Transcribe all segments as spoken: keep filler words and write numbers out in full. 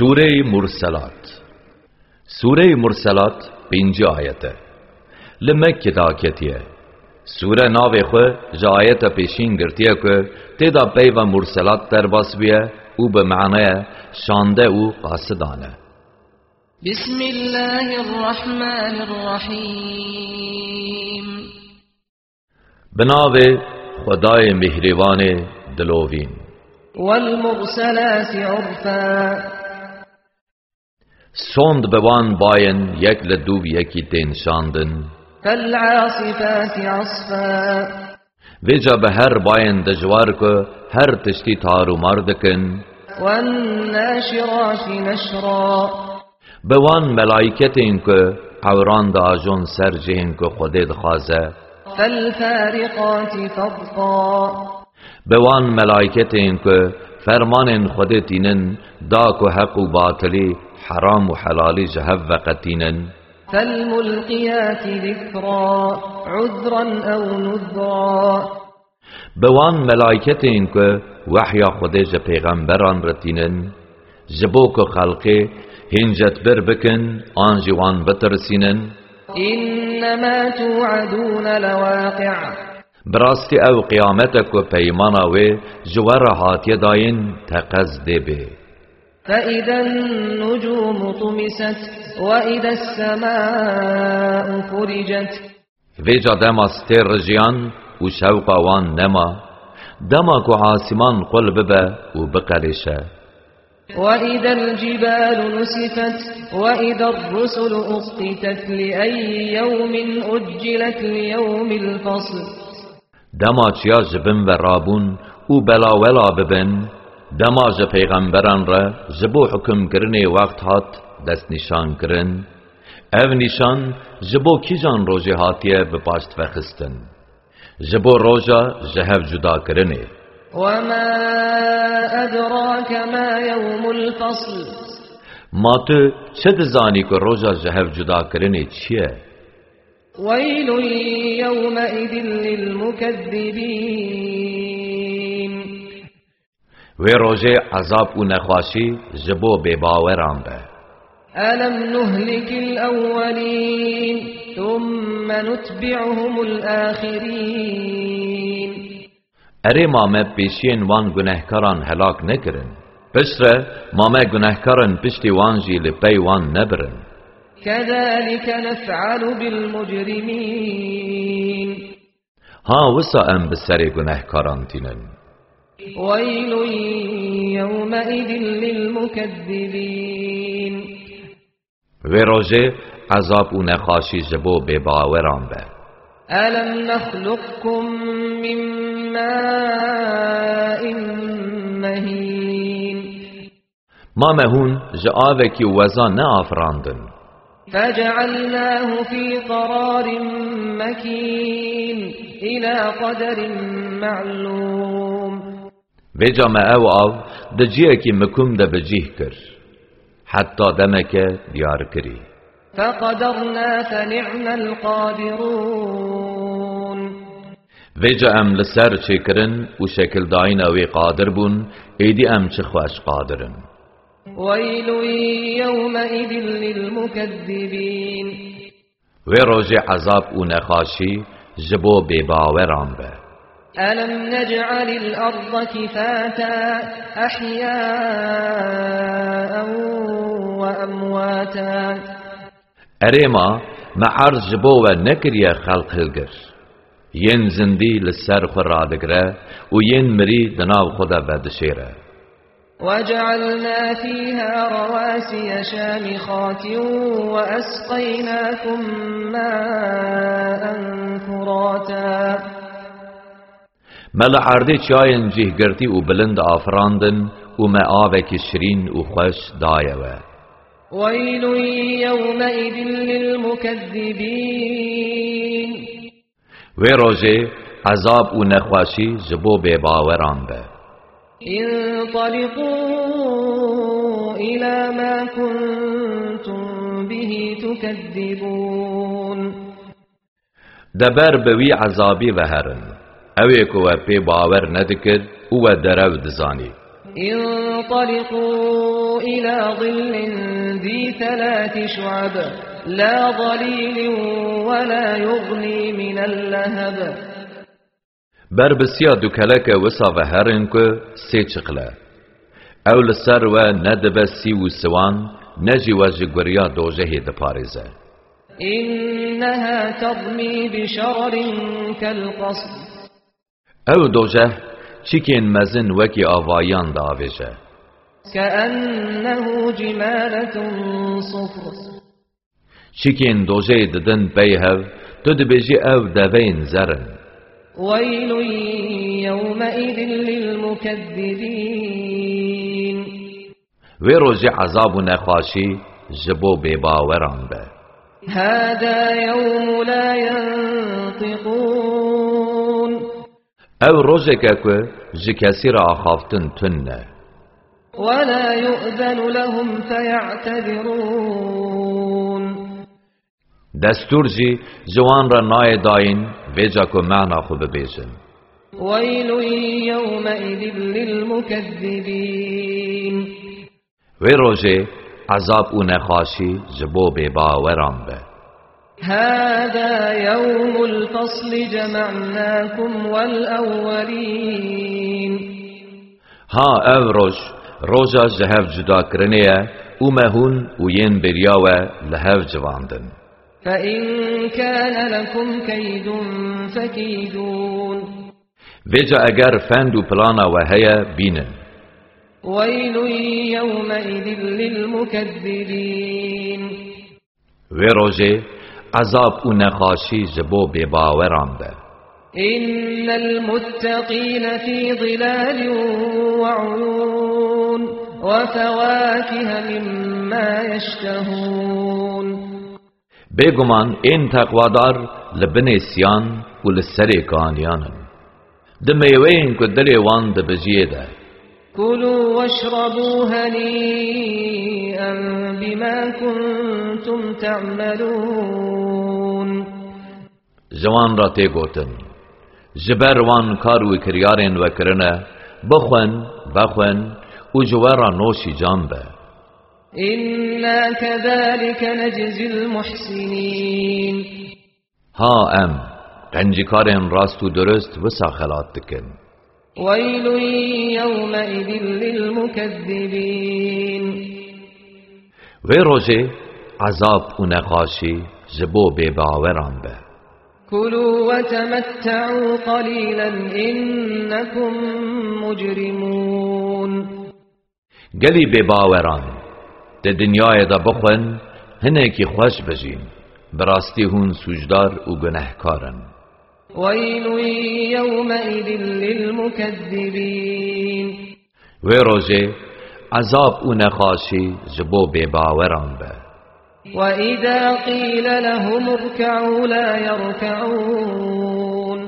Sûreyê Murselat. Sûreyê Murselat pêncî ayet e. Li Mekke daketiye. Sûre navê xwe ji ayeta pêşîn girtiye ku tê de peyva Murselat derbas bûye û bi manaya şande û qasidan e. بسم الله الرحمن الرحيم. Bi navê Xwedayê Mihrîbanê Dilovîn. والمرسلات عرفا. Sond bi wan bayên yek li dûv yekî tên şandin. فالعاصفات عصفا. Vêca bi her bayên dijwar ku her tiştî tar û mar dikin. والناشرات نشرا. Bi wan melayketên ku ewran diajon ser cihên ku Xwedê dixwaze. فالفارقات فرقا. Bi wan melayketên ku fermanên Xwedê tînin, da ku heq û batilî, heram û helalî ji hev veqetînin. فالملقيات ذكرا. عذرا أو نذرا. Bi wan melayketên ku wehya Xwedê ji pêxemberan re tînin, ji bo ku xelkê hîncetbir bikin an jî wan bitirsînin. إنما توعدون لواقع. Bi rastî ew qiyamet e ku peymana wê ji we re hatiye dayîn, teqez dê bê. فإذا النجوم طمست. وإذا السماء فرجت. Vêca dema stêr rijiyan û şewqa wan nema, dema ku asîman qul bibe û biqelêşe. وإذا الجبال نسفت. وإذا الرسل أقتت. لأي يوم أجلت. ليوم الفصل. Dema çiya ji bin ve rabûn û belawela bibin, dema ji pêxemberan re ji bo hukimkirinê wext hat destnîşankirin, ev nîşan ji bo kîjan rojê hatiye bi paşt vexistin? Ji bo roja ji hev cudakirinê. وما أدراك ما يوم الفصل. Ma tu çi dizanî ku roja ji hev cudakirinê çi ye? ويل يومئذ للمكذبين. Wê rojê ezab û nexweşî ji bo bêbaweran be. ألم نهلك الأولين ثم نتبعهم الآخرين. Erê ma me pêşiyên wan gunehkaran helak nekirin? Piştre ma me gunehkarin piştî wan jî li pey wan nebirin? كذلك نفعل بالمجرمين. Ha wisa em bi serê gunehkaran tînin. ويل يومئذ للمكذبين. Vê rojê ezab û nexweşî ji bo bêbaweran be. ألم نخلقكم من ماء مهين. Ma me hûn ji avekî weza neafirandin? فجعلناه في قرار مكين. إلى قدر معلوم. Vêca me ew av di cihekî mikum de bi cih kir, heta demeke diyarkirî. فقدرنا فنعم القادرون. Vêca em li ser çêkirin û şekildayîna wê qadir bûn, êdî em çi xweş qadir in. ويل يومئذ للمكذبين. Wê rojê ezab û nexweşî ji bo bêbaweran be. ألم نجعل الأرض كفاتا أحياء وأمواتا. Erê ma me erd ji bo we nekiriye xelq hilgir? Yên zindî li ser xwe radigire û yên mirî di nav xwe de vedişêre. وجعلنا فيها رواسي شامخات وأسقيناكم ماء فراتا. Me li erdê çiyayên cihgirtî û bilind afirandin û me avekî şirîn û xweş daye we. ويل يومئذ للمكذبين. Wê rojê ezab û nexweşî ji bo bêbaweran be. انطلقوا إلى ما كنتم به تكذبون. De ber bi wî ezabî ve herin, ew ê ku we pê bawer nedikir û we derew dizanî. انطلقوا إلى ظل ذي ثلاث شعب لا ظليل ولا يغني من اللهب. Ber bi siya dukeleke wisa ve herin ku sê çiqil e. Ew li ser we ne dibe sî û siwan, ne jî we ji guriya dojehê diparêze. إنها ترمي بشرر كالقصر. Ew dojeh çîkên mezin wekî avayiyan diavêje. كأنه جمالة صفر. Çîkên dojeyê didin pey hev, tu dibêjî ew deveyên zer in. ويل يومئذ للمكذبين. Wê rojê ezab û nexweşî ji bo bêbaweran be. هذا يوم لا ينطقون. Ew rojek e ku ji kesî re axaftin tune. ولا يؤذن لهم فيعتذرون. Destûr jî ji wan re nayê dayîn, vêca ku mehna xwe bibêjin. ويل يومئذ للمكذبين. Wê rojê ezab û nexweşî ji bo bêbaweran be. هذا يوم الفصل جمعناكم والأولين. Ha ev roj, roja ji hev cudakirinê ye û me hûn û yên beriya we li hev civandin. فإن كان لكم كيد فكيدون. Vêca eger fend û plana we heye, bînin. ويل يومئذ للمكذبين. Wê rojê ezab û nexweşî ji bo bêbaweran be. إن المتقين في ظلال وعيون وفواكه مما يشتهون. Bêguman ên teqwadar li binê siyan û li serê kaniyan in. Di mêweyên ku dilê wan dibijiyê de. كلوا واشربوا هنيئا بما كنتم تعملون. Ji wan re tê gotin, ji ber wan kar û kiryarên we kirine, bixwin, vexwin û ji we re noşî can be. إنا كذلك نجزي المحسنين. Ha em, qencîkarên rast û durust wisa xelat dikin. ويل يومئذ للمكذبين. Wê rojê ezab û nexweşî ji bo bêbaweran be. كلوا وتمتعوا قليلا إنكم مجرمون. Gelî bêbaweran, di dinyayê de bixwin, hinekî xweş bijîn, bi rastî hûn sûcdar û gunehkar in. ويل يومئذ للمكذبين. Wê rojê ezab û nexweşî ji bo bêbaweran be. وإذا قيل لهم اركعوا لا يركعون.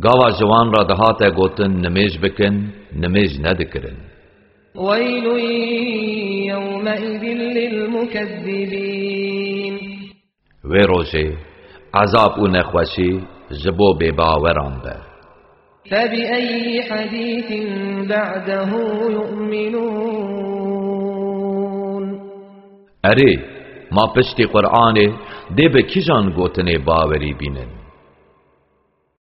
Gava ji wan re dihate gotin nimêj bikin, nimêj nedikirin. ويل يومئذ للمكذبين. Wê rojê ezab û nexweşî ji bo bêbaweran be. فبأي حديث بعده يؤمنون. Erê, ma piştî Qur'anê dê bi kîjan gotinê bawerî bînin?